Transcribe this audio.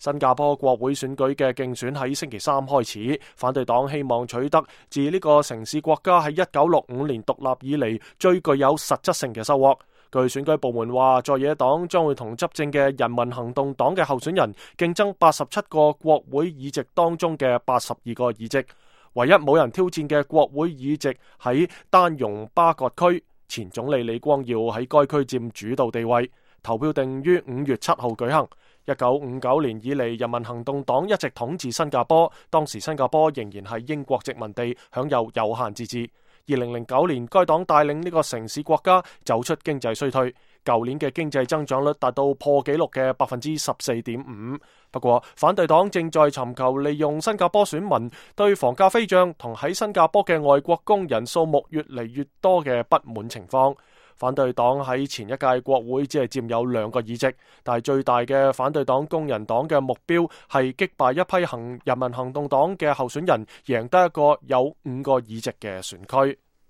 新加坡國會選舉嘅競選喺星期三開始，反對黨希望取得自呢個城市國家喺1965年獨立以嚟最具有實質性嘅收穫。據選舉部門話，在野黨將會同執政嘅人民行動黨嘅候選人競爭87個國會議席當中嘅82個議席。唯一冇人挑戰嘅國會議席喺丹戎巴葛區，前總理李光耀喺該區佔主導地位。投票定於5月7號舉行。1959年以嚟，人民行動黨一直統治新加坡，當時新加坡仍然係英國殖民地，享有有限自治。2009年，該黨帶領呢個城市國家走出經濟衰退，舊年嘅經濟增長率達到破紀錄嘅14.5%。不過，反對黨正在尋求利用新加坡選民對房價飛漲同喺新加坡嘅外國工人數目越嚟越多嘅不滿情況。反對黨喺前一屆國會只係佔有2個議席，但係最大嘅反對黨工人黨嘅目標係擊敗一批人民行動黨嘅候選人，贏得一個有5個議席嘅選區。